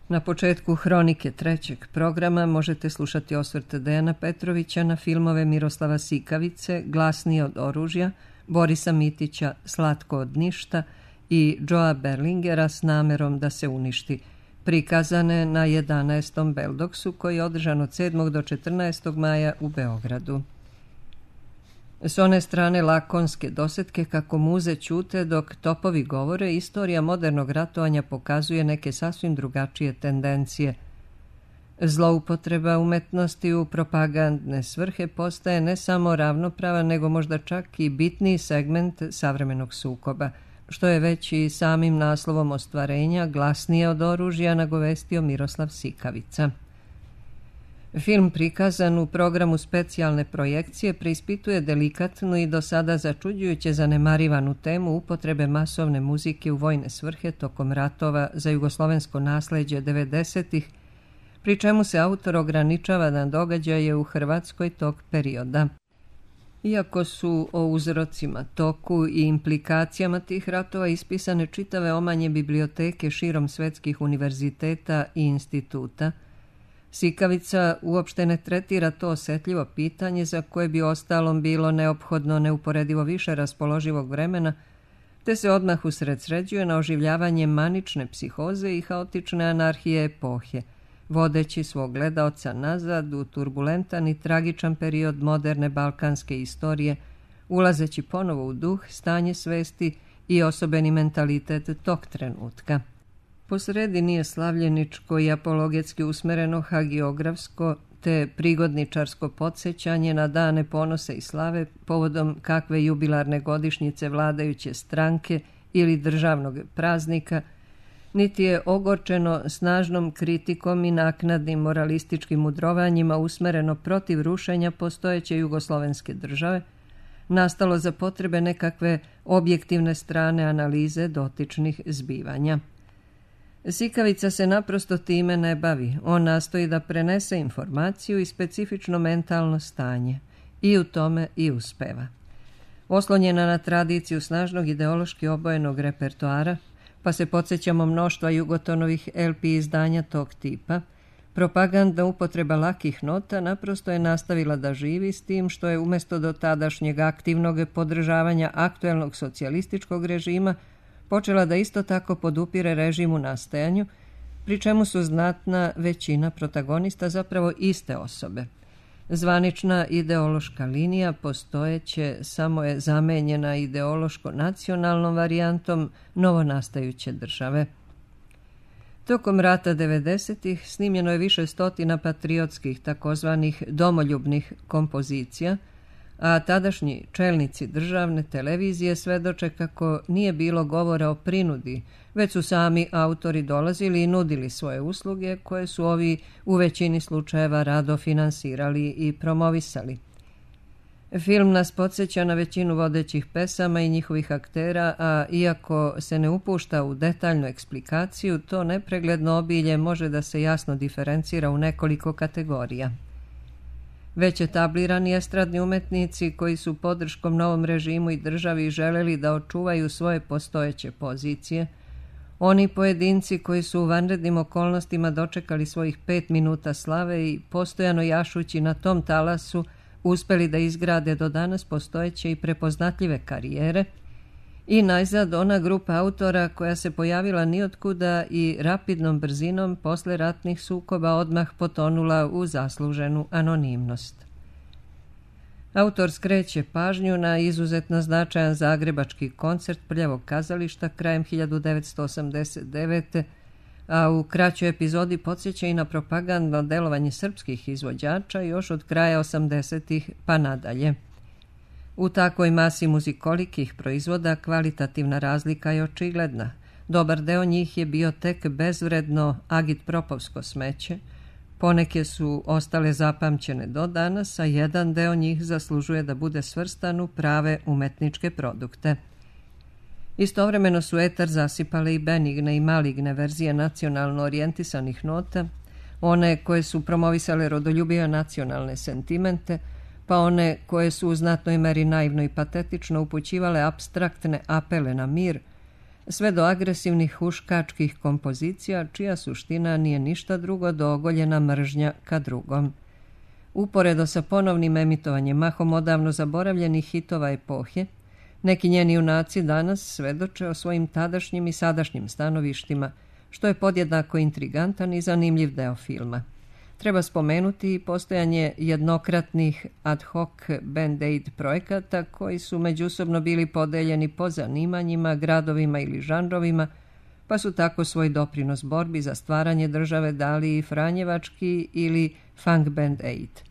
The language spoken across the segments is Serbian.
Na početku hronike trećeg programa možete slušati osvrte Dejana Petrovića na filmove Miroslava Sikavice, Glasnije od oružja, Borisa Mitića, Slatko od ništa i Joea Berlingera S namerom da se uništi, prikazane na 11. Beldoksu koji je održan od 7. do 14. maja u Beogradu. S one strane lakonske dosetke kako muze ćute dok topovi govore, istorija modernog ratovanja pokazuje neke sasvim drugačije tendencije. Zloupotreba umetnosti u propagandne svrhe postaje ne samo ravnopravan, nego možda čak i bitniji segment savremenog sukoba, što je već i samim naslovom ostvarenja Glasnije od oružja nagovestio Miroslav Sikavica. Film prikazan u programu specijalne projekcije preispituje delikatnu i do sada začuđujuće zanemarivanu temu upotrebe masovne muzike u vojne svrhe tokom ratova za jugoslovensko nasleđe 90-ih, pri čemu se autor ograničava na događaje u Hrvatskoj tog perioda. Iako su o uzrocima, toku i implikacijama tih ratova ispisane čitave omanje biblioteke širom svetskih univerziteta i instituta, Sikavica uopšte ne tretira to osetljivo pitanje za koje bi ostalom bilo neophodno neuporedivo više raspoloživog vremena, te se odmah usredsređuje na oživljavanje manične psihoze i haotične anarhije epohe, vodeći svog gledaoca nazad u turbulentan i tragičan period moderne balkanske istorije, ulazeći ponovo u duh, stanje svesti i osobeni mentalitet tog trenutka. Posredi nije slavljeničko i apologetski usmereno hagiografsko te prigodničarsko podsjećanje na dane ponose i slave povodom kakve jubilarne godišnjice vladajuće stranke ili državnog praznika, niti je ogorčeno snažnom kritikom i naknadnim moralističkim mudrovanjima usmereno protiv rušenja postojeće jugoslovenske države, nastalo za potrebe nekakve objektivne strane analize dotičnih zbivanja. Sikavica se naprosto time ne bavi, on nastoji da prenese informaciju i specifično mentalno stanje, i u tome i uspeva. Oslonjena na tradiciju snažnog ideološki obojenog repertoara, pa se podsjećamo mnoštva Jugotonovih LP izdanja tog tipa, propagandna upotreba lakih nota naprosto je nastavila da živi s tim što je umjesto do tadašnjeg aktivnog podržavanja aktuelnog socijalističkog režima počela da isto tako podupire režim u nastajanju, pri čemu su znatna većina protagonista zapravo iste osobe. Zvanična ideološka linija postojeće samo je zamenjena ideološko-nacionalnom varijantom novonastajuće države. Tokom rata 90-ih snimljeno je više stotina patriotskih takozvanih domoljubnih kompozicija, a tadašnji čelnici državne televizije svedoče kako nije bilo govora o prinudi, već su sami autori dolazili i nudili svoje usluge koje su ovi u većini slučajeva rado finansirali i promovisali. Film nas podsjeća na većinu vodećih pesama i njihovih aktera, a iako se ne upušta u detaljnu eksplikaciju, to nepregledno obilje može da se jasno diferencira u nekoliko kategorija. Već etablirani estradni umetnici koji su podrškom novom režimu i državi želeli da očuvaju svoje postojeće pozicije, oni pojedinci koji su u vanrednim okolnostima dočekali svojih 5 minuta slave i postojano jašući na tom talasu uspeli da izgrade do danas postojeće i prepoznatljive karijere, i najzad ona grupa autora koja se pojavila nijotkuda i rapidnom brzinom posle ratnih sukoba odmah potonula u zasluženu anonimnost. Autor skreće pažnju na izuzetno značajan zagrebački koncert Prljavog kazališta krajem 1989. a u kraćoj epizodi podsjeća i na propagandno delovanje srpskih izvođača još od kraja 80-ih pa nadalje. U takvoj masi muzikolikih proizvoda kvalitativna razlika je očigledna. Dobar deo njih je bio tek bezvredno agitpropovsko smeće, poneke su ostale zapamćene do danas, a jedan deo njih zaslužuje da bude svrstan u prave umetničke produkte. Istovremeno su etar zasipale i benigne i maligne verzije nacionalno orijentisanih nota, one koje su promovisale rodoljubive nacionalne sentimente, pa one koje su u znatnoj meri naivno i patetično upućivale apstraktne apele na mir, sve do agresivnih huškačkih kompozicija, čija suština nije ništa drugo do ogoljena mržnja ka drugom. Uporedo sa ponovnim emitovanjem mahom odavno zaboravljenih hitova epohe, neki njeni junaci danas svedoče o svojim tadašnjim i sadašnjim stanovištima, što je podjednako intrigantan i zanimljiv deo filma. Treba spomenuti i postojanje jednokratnih ad hoc band-aid projekata koji su međusobno bili podeljeni po zanimanjima, gradovima ili žanrovima, pa su tako svoj doprinos borbi za stvaranje države dali i franjevački ili funk band-aid.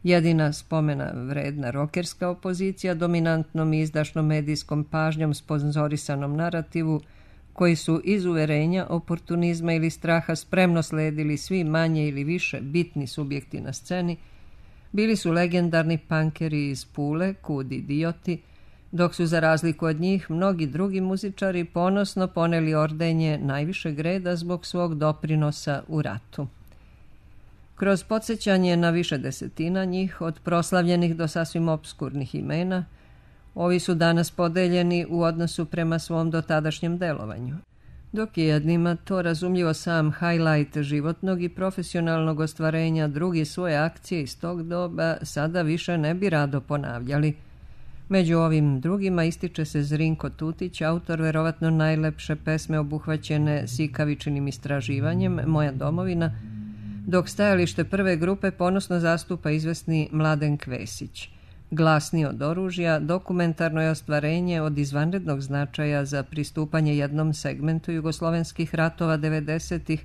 Jedina spomena vredna rokerska opozicija dominantnom i izdašnom medijskom pažnjom sponzorisanom narativu, koji su iz uverenja, oportunizma ili straha spremno sledili svi manje ili više bitni subjekti na sceni, bili su legendarni punkeri iz Pule, Kud idioti, dok su za razliku od njih mnogi drugi muzičari ponosno poneli ordenje najvišeg reda zbog svog doprinosa u ratu. Kroz podsjećanje na više desetina njih, od proslavljenih do sasvim opskurnih imena, ovi su danas podeljeni u odnosu prema svom dotadašnjem delovanju. Dok je jednima to razumljivo sam highlight životnog i profesionalnog ostvarenja, drugi svoje akcije iz tog doba sada više ne bi rado ponavljali. Među ovim drugima ističe se Zrinko Tutić, autor verovatno najlepše pesme obuhvaćene Sikavičinim istraživanjem Moja domovina, dok stajalište prve grupe ponosno zastupa izvesni Mladen Kvesić. Glasni od oružja, dokumentarno je ostvarenje od izvanrednog značaja za pristupanje jednom segmentu jugoslovenskih ratova 90-ih,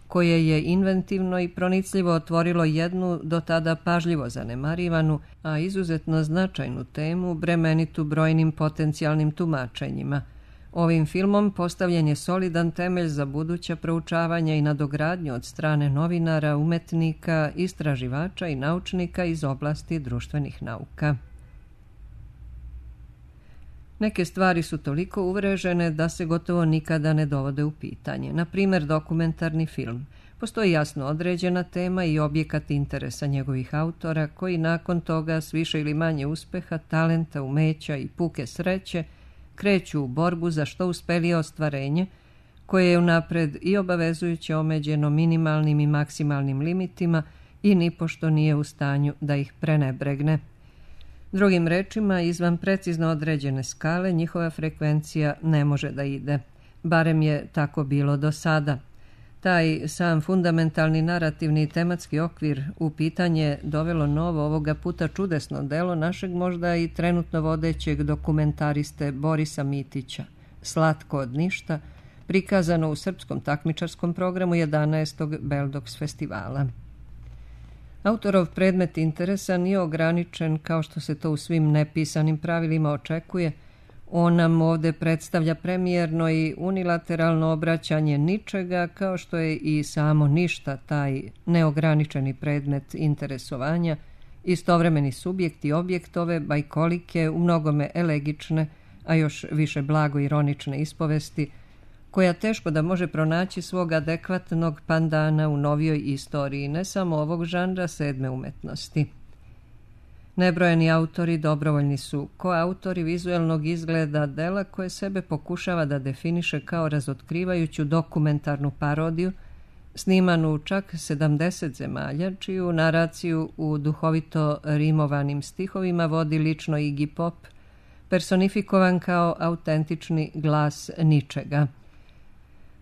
koje je inventivno i pronicljivo otvorilo jednu do tada pažljivo zanemarivanu, a izuzetno značajnu temu, bremenitu brojnim potencijalnim tumačenjima. Ovim filmom postavljen je solidan temelj za buduća proučavanja i nadogradnju od strane novinara, umetnika, istraživača i naučnika iz oblasti društvenih nauka. Neke stvari su toliko uvrežene da se gotovo nikada ne dovode u pitanje. Na primjer, dokumentarni film. Postoji jasno određena tema i objekat interesa njegovih autora, koji nakon toga s više ili manje uspeha, talenta, umeća i puke sreće kreću u borbu za što uspelije ostvarenje, koje je unapred i obavezujuće omeđeno minimalnim i maksimalnim limitima i nipošto nije u stanju da ih prenebregne. Drugim rečima, izvan precizno određene skale njihova frekvencija ne može da ide. Barem je tako bilo do sada. Taj sam fundamentalni narativni i tematski okvir u pitanje dovelo novo, ovoga puta čudesno delo našeg možda i trenutno vodećeg dokumentariste Borisa Mitića, Slatko od ništa, prikazano u srpskom takmičarskom programu 11. Beldox festivala. Autorov predmet interesa nije ograničen kao što se to u svim nepisanim pravilima očekuje. On nam ovdje predstavlja premijerno i unilateralno obraćanje ničega, kao što je i samo ništa taj neograničeni predmet interesovanja, istovremeni subjekt i objekt ove bajkolike, u mnogome elegične, a još više blago ironične ispovesti, koja teško da može pronaći svog adekvatnog pandana u novijoj istoriji, ne samo ovog žanra sedme umetnosti. Nebrojeni autori dobrovoljni su koautori vizuelnog izgleda dela koje sebe pokušava da definiše kao razotkrivajuću dokumentarnu parodiju, snimanu u čak 70 zemalja, čiju naraciju u duhovito rimovanim stihovima vodi lično Iggy Pop, personifikovan kao autentični glas ničega.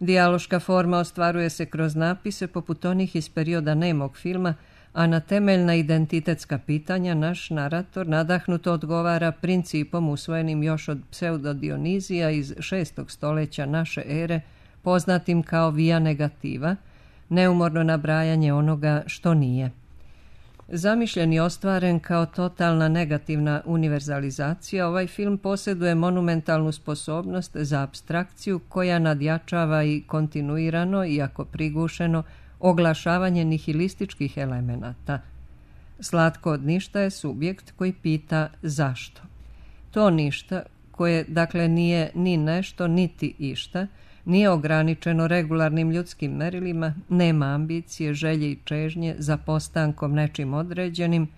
Dijaloška forma ostvaruje se kroz napise poput onih iz perioda nemog filma, a na temeljna identitetska pitanja naš narator nadahnuto odgovara principom usvojenim još od pseudodionizija iz 6. stoljeća naše ere, poznatim kao via negativa, neumorno nabrajanje onoga što nije. Zamišljen i ostvaren kao totalna negativna univerzalizacija, ovaj film posjeduje monumentalnu sposobnost za apstrakciju koja nadjačava i kontinuirano, iako prigušeno, oglašavanje nihilističkih elemenata. Slatko od ništa je subjekt koji pita zašto. To ništa, koje dakle nije ni nešto niti išta, nije ograničeno regularnim ljudskim merilima, nema ambicije, želje i čežnje za postankom nečim određenim,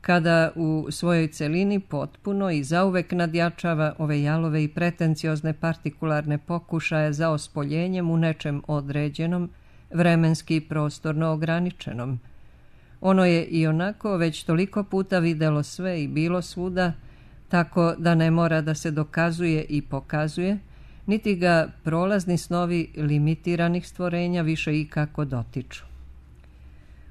kada u svojoj celini potpuno i zauvek nadjačava ove jalove i pretenciozne partikularne pokušaje za ospoljenjem u nečem određenom, vremenski i prostorno ograničenom. Ono je i onako već toliko puta videlo sve i bilo svuda, tako da ne mora da se dokazuje i pokazuje, niti ga prolazni snovi limitiranih stvorenja više ikako dotiču.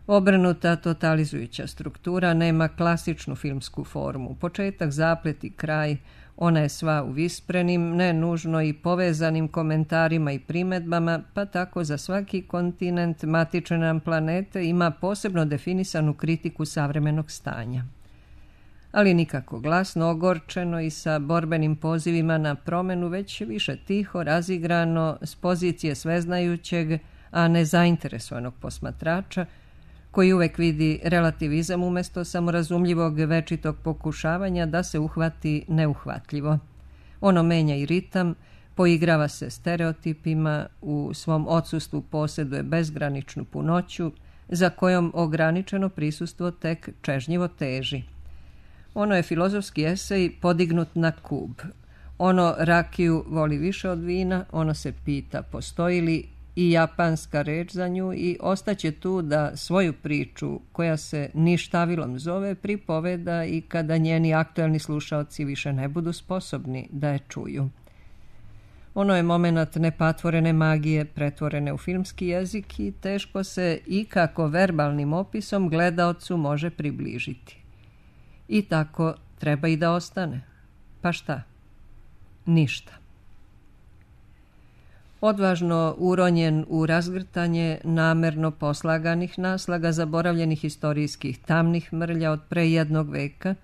Obrnuta totalizujuća struktura nema klasičnu filmsku formu, početak, zaplet i kraj, ona je sva u visprenim, ne nužno i povezanim komentarima i primedbama, pa tako za svaki kontinent matične nam planete ima posebno definisanu kritiku savremenog stanja. Ali nikako glasno, ogorčeno i sa borbenim pozivima na promenu, već više tiho, razigrano, s pozicije sveznajućeg, a ne zainteresovanog posmatrača, koji uvek vidi relativizam umjesto samorazumljivog večitog pokušavanja da se uhvati neuhvatljivo. Ono menja i ritam, poigrava se stereotipima, u svom odsustvu posjeduje bezgraničnu punoću, za kojom ograničeno prisustvo tek čežnjivo teži. Ono je filozofski esej podignut na kub. Ono rakiju voli više od vina, ono se pita postoji li i japanska reč za nju i ostaće tu da svoju priču, koja se ništavilom zove, pripoveda i kada njeni aktuelni slušaoci više ne budu sposobni da je čuju. Ono je moment nepatvorene magije pretvorene u filmski jezik i teško se ikako verbalnim opisom gledaocu može približiti. I tako treba i da ostane. Pa šta? Ništa. Odvažno uronjen u razgrtanje namerno poslaganih naslaga zaboravljenih istorijskih tamnih mrlja od pre jednog veka,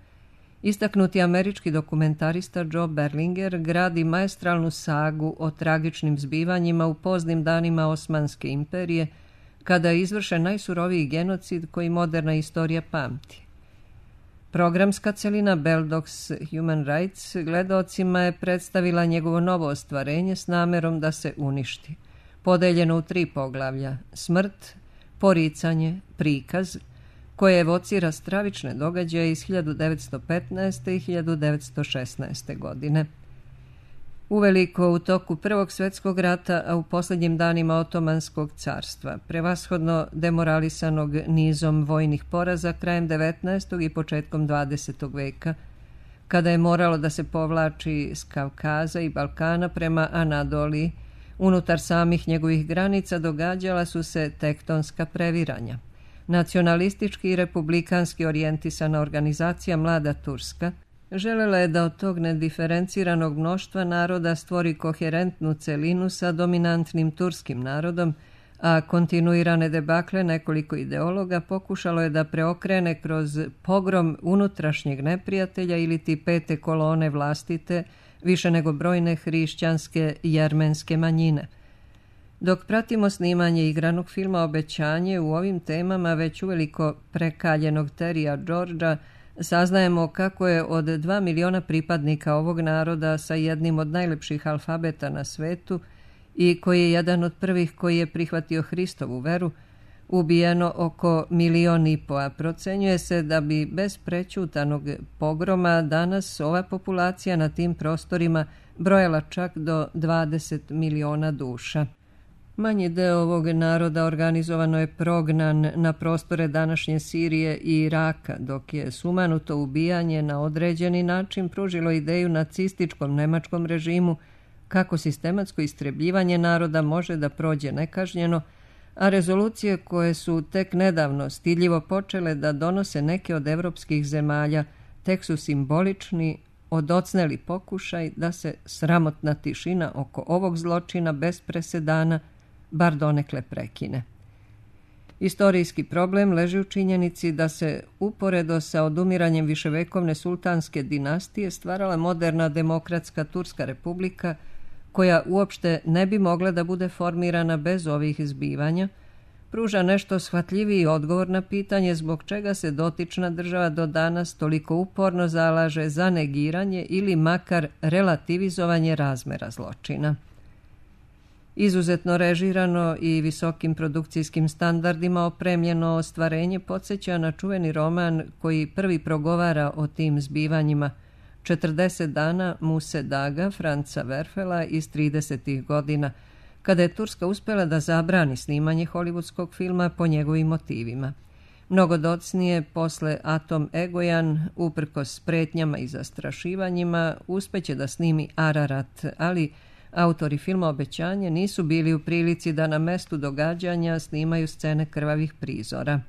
istaknuti američki dokumentarista Joe Berlinger gradi maestralnu sagu o tragičnim zbivanjima u poznim danima Osmanske imperije, kada je izvršen najsuroviji genocid koji moderna istorija pamti. Programska celina Bell Dogs Human Rights gledaocima je predstavila njegovo novo ostvarenje s namerom da se uništi, podeljeno u 3 poglavlja: smrt, poricanje, prikaz, koje evocira stravične događaje iz 1915. i 1916. godine. Uveliko u toku Prvog svjetskog rata, a u posljednjim danima Otomanskog carstva, prevashodno demoralisanog nizom vojnih poraza krajem 19. i početkom 20. veka, kada je moralo da se povlači s Kavkaza i Balkana prema Anadoliji, unutar samih njegovih granica događala su se tektonska previranja. Nacionalistički i republikanski orijentisana organizacija Mlada Turska želela je da od tog nediferenciranog mnoštva naroda stvori koherentnu celinu sa dominantnim turskim narodom, a kontinuirane debakle nekoliko ideologa pokušalo je da preokrene kroz pogrom unutrašnjeg neprijatelja ili ti 5. kolone vlastite, više nego brojne hrišćanske i jermenske manjine. Dok pratimo snimanje igranog filma Obećanje, u ovim temama već uveliko prekaljenog Terija Georgea saznajemo kako je od 2 miliona pripadnika ovog naroda sa jednim od najlepših alfabeta na svetu i koji je jedan od prvih koji je prihvatio Hristovu veru, ubijeno oko 1,5 miliona, a procenjuje se da bi bez prećutanog pogroma danas ova populacija na tim prostorima brojala čak do 20 miliona duša. Manji deo ovog naroda organizovano je prognan na prostore današnje Sirije i Iraka, dok je sumanuto ubijanje na određeni način pružilo ideju nacističkom nemačkom režimu kako sistematsko istrebljivanje naroda može da prođe nekažnjeno, a rezolucije koje su tek nedavno stidljivo počele da donose neke od evropskih zemalja tek su simbolični, odocneli pokušaj da se sramotna tišina oko ovog zločina bez presedana bar donekle prekine. Istorijski problem leži u činjenici da se uporedo sa odumiranjem viševekovne sultanske dinastije stvarala moderna demokratska Turska republika, koja uopšte ne bi mogla da bude formirana bez ovih zbivanja, pruža nešto shvatljiviji odgovor na pitanje zbog čega se dotična država do danas toliko uporno zalaže za negiranje ili makar relativizovanje razmera zločina. Izuzetno režirano i visokim produkcijskim standardima opremljeno ostvarenje podsjeća na čuveni roman koji prvi progovara o tim zbivanjima 40 dana Muse Daga Franca Werfela iz 30. godina, kada je Turska uspjela da zabrani snimanje hollywoodskog filma po njegovim motivima. Mnogo docnije, posle Atom Egojan, uprkos pretnjama i zastrašivanjima, uspeće da snimi Ararat, ali autori filma Obećanje nisu bili u prilici da na mestu događanja snimaju scene krvavih prizora.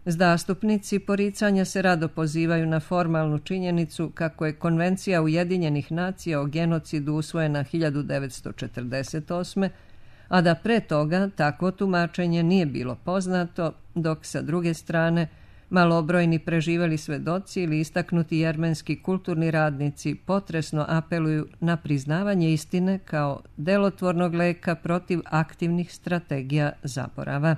Zastupnici poricanja se rado pozivaju na formalnu činjenicu kako je Konvencija Ujedinjenih nacija o genocidu usvojena 1948. a da pre toga takvo tumačenje nije bilo poznato, dok sa druge strane malobrojni preživeli svedoci ili istaknuti jermenski kulturni radnici potresno apeluju na priznavanje istine kao delotvornog leka protiv aktivnih strategija zaborava.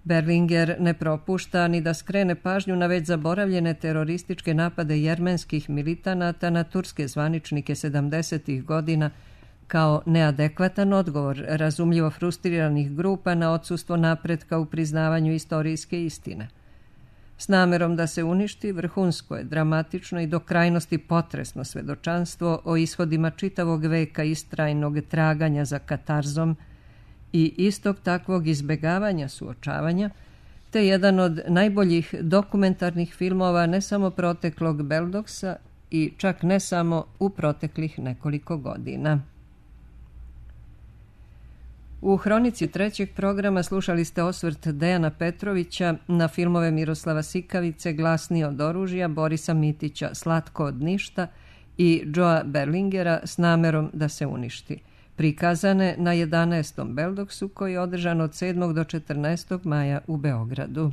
Berlinger ne propušta ni da skrene pažnju na već zaboravljene terorističke napade jermenskih militanata na turske zvaničnike 70. godina kao neadekvatan odgovor razumljivo frustriranih grupa na odsustvo napretka u priznavanju istorijske istine. S namerom da se uništi vrhunsko je dramatično i do krajnosti potresno svedočanstvo o ishodima čitavog veka istrajnog traganja za katarzom i istog takvog izbegavanja suočavanja, te jedan od najboljih dokumentarnih filmova ne samo proteklog Beldoksa i čak ne samo u proteklih nekoliko godina. U hronici trećeg programa slušali ste osvrt Dejana Petrovića na filmove Miroslava Sikavice Glasniji od oružja, Borisa Mitića Slatko od ništa i Joea Berlingera S namerom da se uništi, prikazane na 11. Beldoksu koji je održan od 7. do 14. maja u Beogradu.